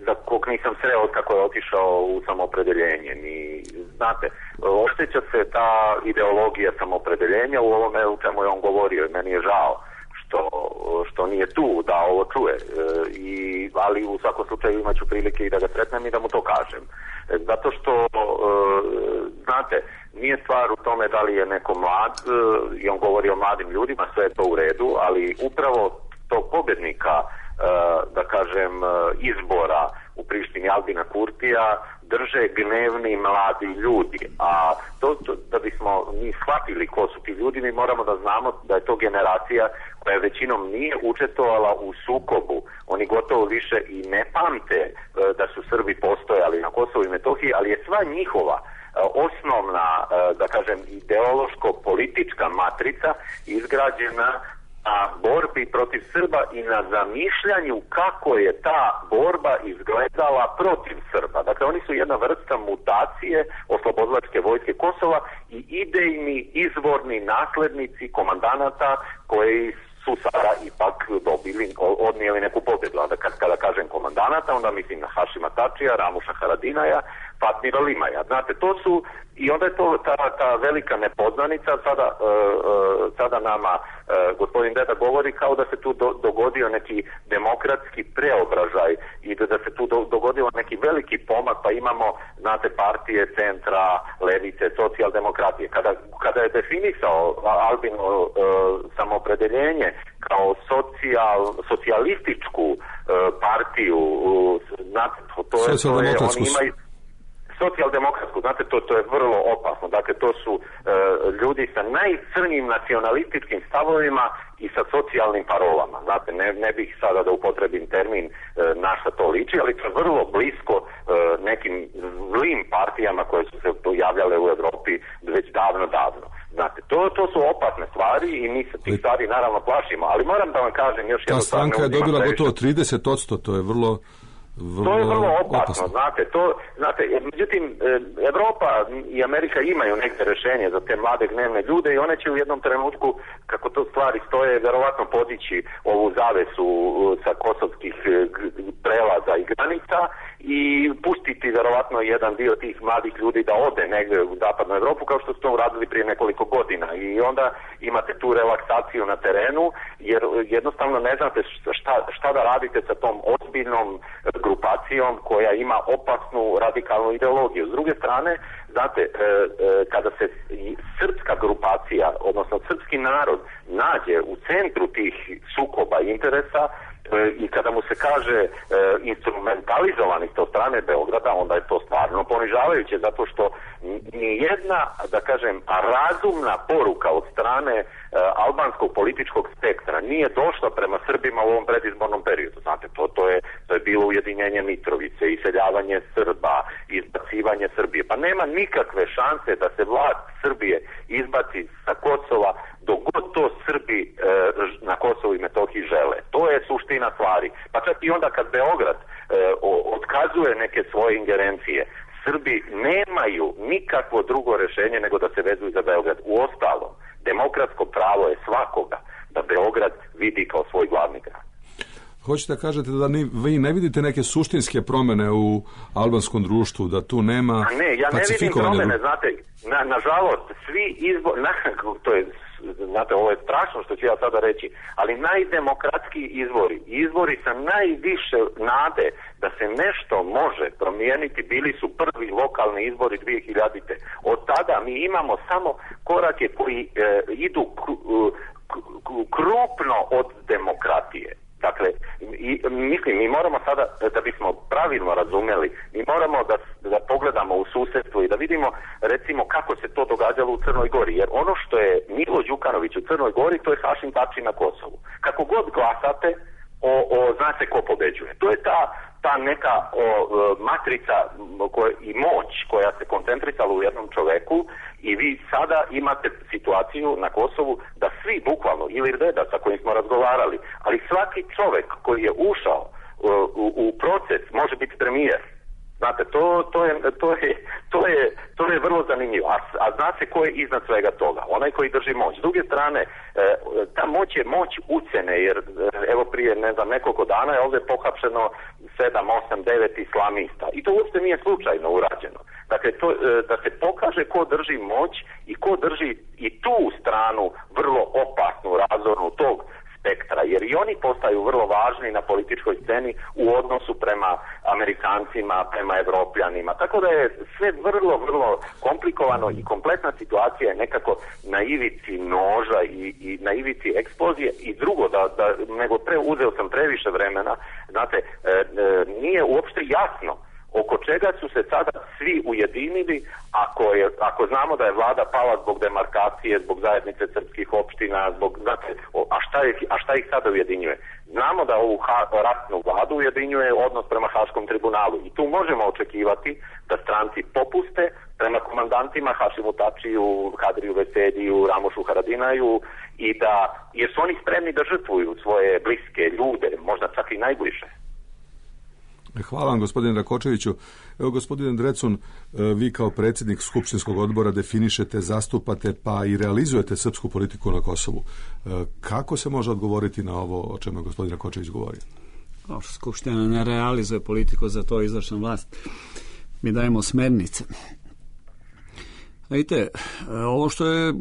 za kog nisam sreo kako je otišao u samoopredeljenje. Znate, ošteća se ta ideologija samoopredeljenja u ovome u čemu je on govorio i meni je žao što nije tu da ovo čuje, ali u svakom slučaju imat ću prilike i da ga sretnem i da mu to kažem. Zato što, znate, nije stvar u tome da li je neko mlad, i on govori o mladim ljudima, sve je to u redu, ali upravo tog pobjednika, da kažem, izbora u Prištini Albina Kurtija drže gnevni mladi ljudi, a da bismo mi shvatili ko su ti ljudi, mi moramo da znamo da je to generacija koja većinom nije učestvovala u sukobu. Oni gotovo više i ne pamte da su Srbi postojali na Kosovu i Metohiji, ali je sva njihova osnovna, da kažem, ideološko-politička matrica izgrađena na borbi protiv Srba i na zamišljanju kako je ta borba izgledala protiv Srba. Dakle, oni su jedna vrsta mutacije oslobodilačke vojske Kosova i idejni, izvorni naslednici komandanata koji su sada ipak odnijeli neku pobjedu. Kada kažem komandanata, onda mislim na Hašima Tačija, Ramuša Haradinaja, Fatmira Limaja. Znate, to su, i onda je to ta velika nepoznanica, sada nama gospodin Deda govori kao da se tu dogodio neki demokratski preobražaj i da se tu dogodio neki veliki pomak, pa imamo, znate, partije centra, levice, socijaldemokratije. Kada je definisao Albino samoopredjeljenje kao socijalističku partiju, znate, to je oni imaju socijaldemokratsku, znate, to je vrlo opasno. Dakle, to su ljudi sa najcrnjim nacionalističkim stavovima i sa socijalnim parolama. Znate, ne bih sada da upotrebim termin na šta to liči, ali to je vrlo blisko nekim zlim partijama koje su se pojavljale u Evropi već davno. Znate, to su opasne stvari i mi se tih stvari naravno plašimo, ali moram da vam kažem još jednu stvar. Ta stranka je dobila gotovo 30%, to je vrlo opasno, znate, međutim, Evropa i Amerika imaju neke rješenje za te mlade gnevne ljude i one će u jednom trenutku, kako to stvari stoje, verovatno podići ovu zavesu sa kosovskih prelaza i granica i pustiti verovatno jedan dio tih mladih ljudi da ode negdje u zapadnu Evropu, kao što su to uradili prije nekoliko godina, i onda imate tu relaksaciju na terenu, jer jednostavno ne znate šta da radite sa tom ozbiljnom grupacijom koja ima opasnu radikalnu ideologiju. S druge strane, znate, kada se srpska grupacija, odnosno srpski narod, nađe u centru tih sukoba interesa i kada mu se kaže instrumentalizovanih to strane Beograda, onda je to stvarno ponižavajuće, zato što nijedna, da kažem, razumna poruka od strane albanskog političkog spektra nije došla prema Srbima u ovom predizbornom periodu. Znate, to je bilo ujedinjenje Mitrovice, iseljavanje Srba, izbacivanje Srbije. Pa nema nikakve šanse da se vlast Srbije izbaci sa Kosova dok god to Srbi na Kosovu i Metohiji žele. To je suština stvari. Pa čak i onda kad Beograd otkazuje neke svoje ingerencije, Srbi nemaju nikakvo drugo rješenje nego da se vezuju za Beograd. Uostalom, demokratsko pravo je svakoga da Beograd vidi kao svoj glavni grad. Hoćete da kažete da vi ne vidite neke suštinske promjene u albanskom društvu, da tu nema pacifikovanja? Ne, ja ne vidim promjene, znate, nažalost, svi izbor, to je, znate, ovo je strašno što ću ja sada reći, ali najdemokratskiji izbori sa najviše nade da se nešto može promijeniti, bili su prvi lokalni izbori 2000. Od tada mi imamo samo korake koji idu krupno od demokratije. Dakle, mislim, mi moramo sada, da bismo pravilno razumjeli, mi moramo da pogledamo u susjedstvo i da vidimo, recimo, kako se to događalo u Crnoj Gori. Jer ono što je Milo Đukanović u Crnoj Gori, to je Hašim Tači na Kosovu. Kako god glasate, zna se ko pobeđuje. To je ta neka matrica i moć koja se koncentrisala u jednom čoveku, i vi sada imate situaciju na Kosovu da svi bukvalno, Ilir Deda sa kojim smo razgovarali, ali svaki čovek koji je ušao u proces može biti premijer. Znate, to je vrlo zanimljivo. A zna se ko je iznad svega toga? Onaj koji drži moć. S druge strane, ta moć je moć ucene, jer evo prije, nekoliko dana je ovdje pohapšeno 7, 8, 9 islamista. I to uopšte nije slučajno urađeno. Dakle, da se pokaže ko drži moć i ko drži i tu stranu vrlo opasnu, razornu tog spektra, jer i oni postaju vrlo važni na političkoj sceni u odnosu prema Amerikancima, prema Evropljanima. Tako da je sve vrlo, vrlo komplikovano i kompletna situacija je nekako na ivici noža i na ivici eksplozije. I drugo, nego uzeo sam previše vremena, znate, nije uopšte jasno oko čega su se sada svi ujedinili, ako znamo da je vlada pala zbog demarkacije, zbog zajednice srpskih opština, a šta ih sada ujedinjuje? Znamo da ovu ratnu vladu ujedinjuje odnos prema Haškom tribunalu i tu možemo očekivati da stranci popuste prema komandantima Hašimu Tačiju, Kadriju Veseljiju, Ramošu Haradinaju, jer su oni spremni da žrtvuju svoje bliske ljude, možda čak i najbliže. Hvala vam, gospodine Rakočeviću. Evo, gospodine Drecun, vi kao predsjednik Skupštinskog odbora definišete, zastupate pa i realizujete srpsku politiku na Kosovu. Kako se može odgovoriti na ovo o čemu je gospodin Rakočević govorio? Skupština ne realizuje politiku, za to je izvršna vlast. mi dajemo smernice. Vidite, ovo što je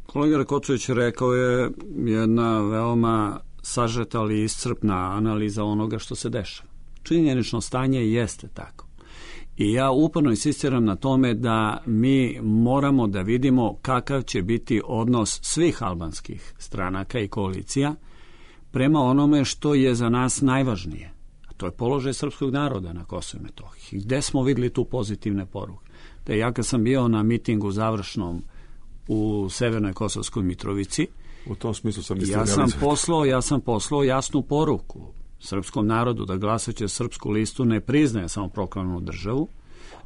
kolega Rakočević rekao je jedna veoma sažeta ali iscrpna analiza onoga što se dešava. Činjenično stanje jeste tako. I ja uporno insistiram na tome da mi moramo da vidimo kakav će biti odnos svih albanskih stranaka i koalicija prema onome što je za nas najvažnije. A to je položaj srpskog naroda na Kosovu i Metohiji. Gde smo videli tu pozitivne poruke? Da ja kad sam bio na mitingu završnom u Severnoj Kosovskoj Mitrovici, u tom smislu sam ja sam poslao jasnu poruku srpskom narodu da glasajući srpsku listu ne priznaje samoproklamnu državu,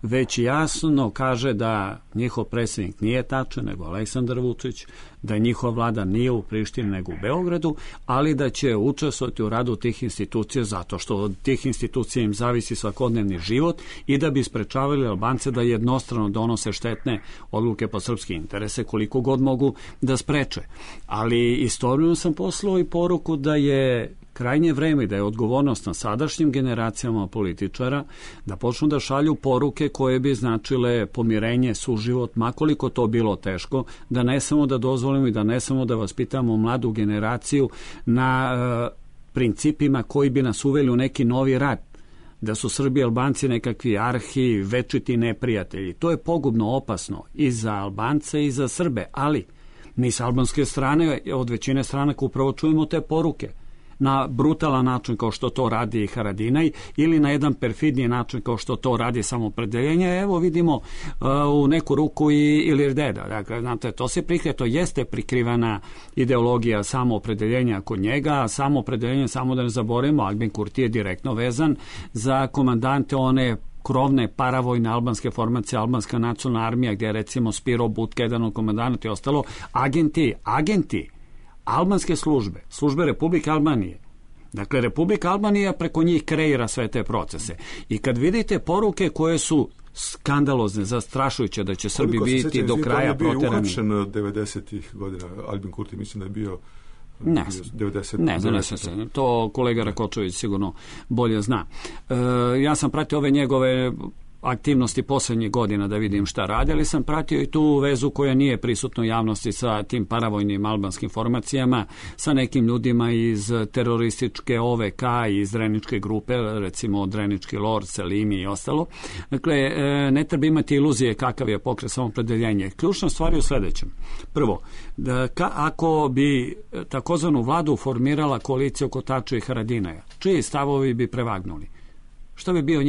već jasno kaže da njihov predsjednik nije tačan, nego Aleksandar Vučić, da njihova vlada nije u Prištini nego u Beogradu, ali da će učestvovati u radu tih institucija zato što od tih institucija im zavisi svakodnevni život i da bi sprečavali Albance da jednostrano donose štetne odluke po srpske interese koliko god mogu da spreče. Ali istovremeno sam poslao i poruku da je krajnje vreme i da je odgovornost na sadašnjim generacijama političara da počnu da šalju poruke koje bi značile pomirenje, suživot, makoliko to bilo teško, da ne samo da dozvolimo i da ne samo da vaspitamo mladu generaciju na principima koji bi nas uveli u neki novi rat, da su Srbi i Albanci nekakvi arhi, večiti neprijatelji. To je pogubno opasno i za Albance i za Srbe, ali mi s albanske strane od većine stranaka upravo čujemo te poruke na brutalan način kao što to radi Haradinaj ili na jedan perfidniji način kao što to radi Samoopredeljenje. Evo vidimo u neku ruku i Ilirdeda. Dakle, znate, to se prikriva, to jeste prikrivana ideologija Samoopredeljenja kod njega, a Samoopredeljenje, samo da ne zaboravimo, Albin Kurti je direktno vezan za komandante one krovne paravojne albanske formacije, albanska nacionalna armija, gdje je recimo Spiro Butka, jedan od komandanata i ostalo, agenti albanske službe Republike Albanije. Dakle, Republika Albanija preko njih kreira sve te procese. I kad vidite poruke koje su skandalozne, zastrašujuće da će Srbi biti do kraja proterani. Bio uhapšen 90-ih godina, Albin Kurti, mislim da je bio Ne, to kolega Rakočević sigurno bolje zna. Ja sam pratio ove njegove aktivnosti poslednjih godina da vidim šta radi, ali sam pratio i tu vezu koja nije prisutna u javnosti sa tim paravojnim albanskim formacijama, sa nekim ljudima iz terorističke OVK i iz Dreničke grupe, recimo Drenički lord, Selimi i ostalo. Dakle, ne treba imati iluzije kakav je pokret Samoopredeljenje. Ključna stvar je u sledećem. Prvo, ako bi takozvanu vladu formirala koalicija oko Tače i Haradinaja, čiji stavovi bi prevagnuli? Šta bi bio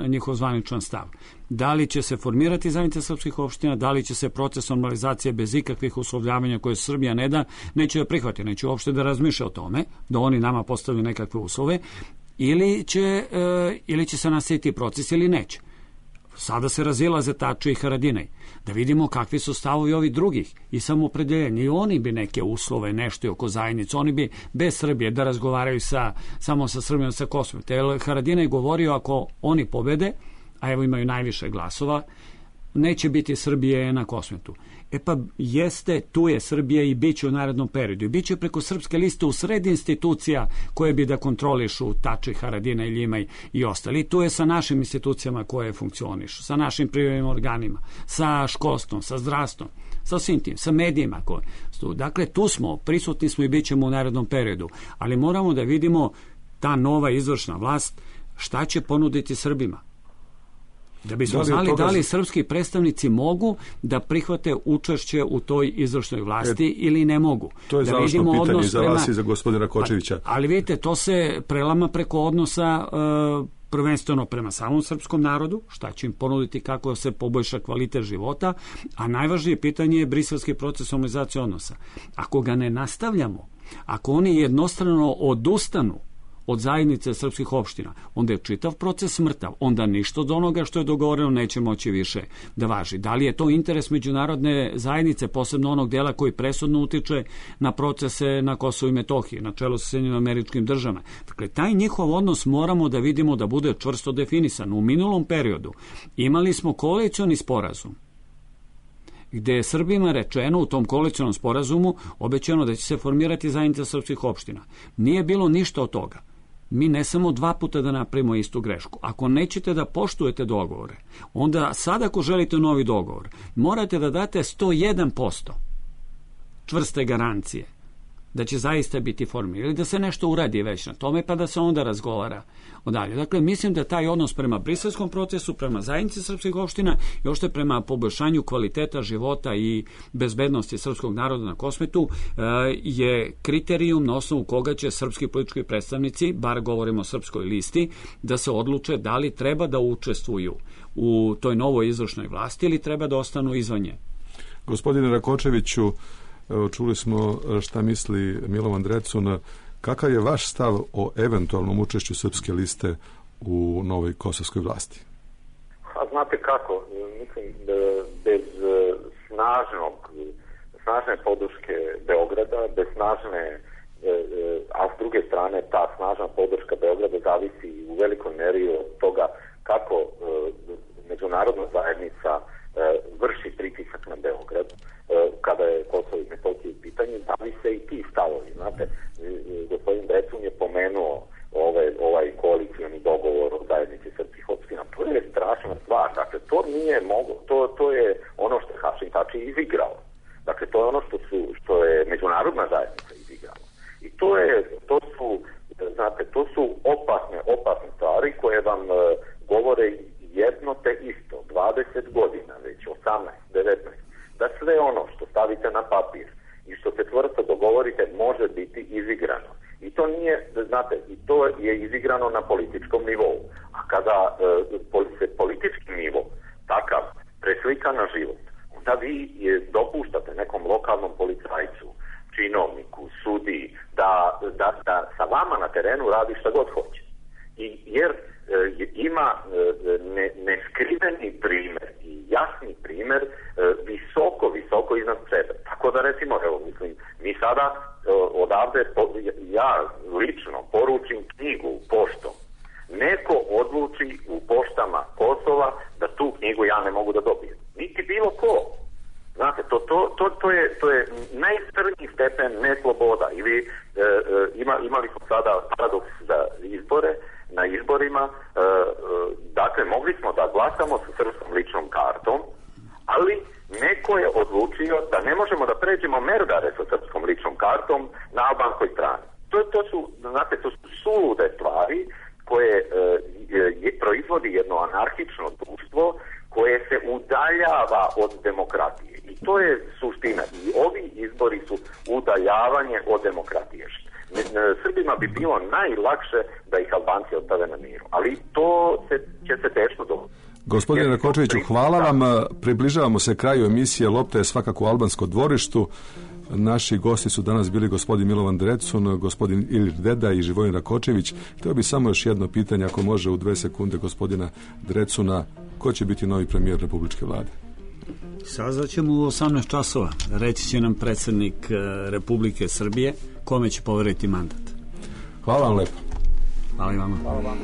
njihov zvaničan stav? Da li će se formirati zajednica srpskih opština, da li će se proces normalizacije bez ikakvih uslovljavanja koje Srbija ne da, neće da prihvati, neće uopšte da razmišlja o tome, da oni nama postavljaju nekakve uslove, ili će se nastaviti proces ili neće. Sada se razilaze Tače i Haradinaj. Da vidimo kakvi su stavovi ovih drugih i Samoopredeljenje. I oni bi neke uslove, nešto oko zajednice. Oni bi bez Srbije da razgovaraju samo sa Srbijom, sa Kosovom. Haradinaj govorio ako oni pobede, a evo imaju najviše glasova, neće biti Srbije na Kosmetu. E pa jeste, tu je Srbija i bit će u narednom periodu. I bit će preko srpske liste u sred institucija koje bi da kontrolišu Tače, Haradinaj, Ljimaj i ostali. Tu je sa našim institucijama koje funkcionišu, sa našim privrednim organima, sa školstvom, sa zdravstvom, sa svim tim, sa medijima. Dakle, tu smo, prisutni smo i bit ćemo u narednom periodu. Ali moramo da vidimo ta nova izvršna vlast šta će ponuditi Srbima. Da bismo znali da li srpski predstavnici mogu da prihvate učešće u toj izvršnoj vlasti ili ne mogu. To je završno pitanje za vas i za gospodina Kočevića. Ali vidite, to se prelama preko odnosa prvenstveno prema samom srpskom narodu, šta će im ponuditi, kako se poboljša kvalitet života, a najvažnije pitanje je briselski proces normalizacije odnosa. Ako ga ne nastavljamo, ako oni jednostrano odustanu od zajednice srpskih opština, onda je čitav proces mrtav, onda ništa od onoga što je dogovoreno neće moći više da važi. Da li je to interes međunarodne zajednice, posebno onog dela koji presudno utiče na procese na Kosovu i Metohiji, na čelu sa Sjedinjenim Američkim Državama. Dakle, taj njihov odnos moramo da vidimo da bude čvrsto definisan. U minulom periodu imali smo koalicioni sporazum, gde je Srbima rečeno u tom koalicionom sporazumu obećano da će se formirati zajednica srpskih opština. Nije bilo ništa od toga. mi ne samo 2 puta da napravimo istu grešku. Ako nećete da poštujete dogovore, onda sad ako želite novi dogovor, morate da date 101% čvrste garancije da će zaista biti formiran ili da se nešto uradi već na tome, pa da se onda razgovara odalje. Dakle, mislim da taj odnos prema briselskom procesu, prema zajednici srpskih opština i ošte prema poboljšanju kvaliteta života i bezbednosti srpskog naroda na Kosmetu je kriterijum na osnovu koga će srpski politički predstavnici, bar govorimo o Srpskoj listi, da se odluče da li treba da učestvuju u toj novoj izvršnoj vlasti ili treba da ostanu izvan nje. Gospodine Rakočeviću, čuli smo šta misli Milovan Drecun. Kakav je vaš stav o eventualnom učešću Srpske liste u novoj kosovskoj vlasti? A znate kako, mislim da bez snažne podrške Beograda, bez snažne, a s druge strane ta snažna podrška Beograda zavisi u velikoj meri od toga kako međunarodna zajednica vrši pritisak na Beograd kada je Kosovo i Metohija u pitanju, zavise i ti stavovi. Znate, gospodin Drecun je pomenuo ovaj koalicioni dogovor o zajednici srpskih opština. To je strašna stvar. Dakle, to nije moglo. To je ono što je Hašim Tači izigrao. Dakle, to je ono što je međunarodna zajednica izigrala. I to su opasne stvari koje vam govore jedno te isto, 20 godina već, 18, 19, da sve ono što stavite na papir i što se tvrdo dogovorite može biti izigrano. I to nije, znate, i to je izigrano na političkom nivou. A kada se politički nivo takav preslika na život, onda vi dopuštate nekom lokalnom policajcu, činovniku, sudiji, da sa vama na terenu radi šta god hoće. Jer ima neskriveni primjer i jasni primjer visoko iznad sebe. Tako da recimo, evo mislim, mi sada odavde, ja lično poručim knjigu poštom. Neko odluči u poštama Kosova da tu knjigu ja ne mogu da dobijem. Niti bilo ko. Znate, to je najcrnji stepen nesloboda. I vi imali smo sada paradoks za izbore, na izborima, dakle, mogli smo da glasamo sa srpskom ličnom kartom, ali neko je odlučio da ne možemo da pređemo Merdare sa srpskom ličnom kartom na albanskoj strani. To su sulude stvari koje proizvodi jedno anarhično društvo koje se udaljava od demokratije. I to je suština. I ovi izbori su udaljavanje od demokratije. Srbima bi bilo najlakše da ih Albanci ostave na miru, ali to će se teško dogoditi. Gospodine Rakočeviću, hvala vam. Približavamo se kraju emisije. Lopta je svakako u albanskom dvorištu. Naši gosti su danas bili gospodin Milovan Drecun, gospodin Ilir Deda i Živojin Rakočević. Htio bi samo još jedno pitanje, ako može u 2 sekunde, gospodina Drecuna. Ko će biti novi premijer Republičke vlade? Saznaćemo u 18 časova. Reći će nam predsjednik Republike Srbije kome će poveriti mandat. Hvala vam lepo. Hvala i vama. Hvala vam.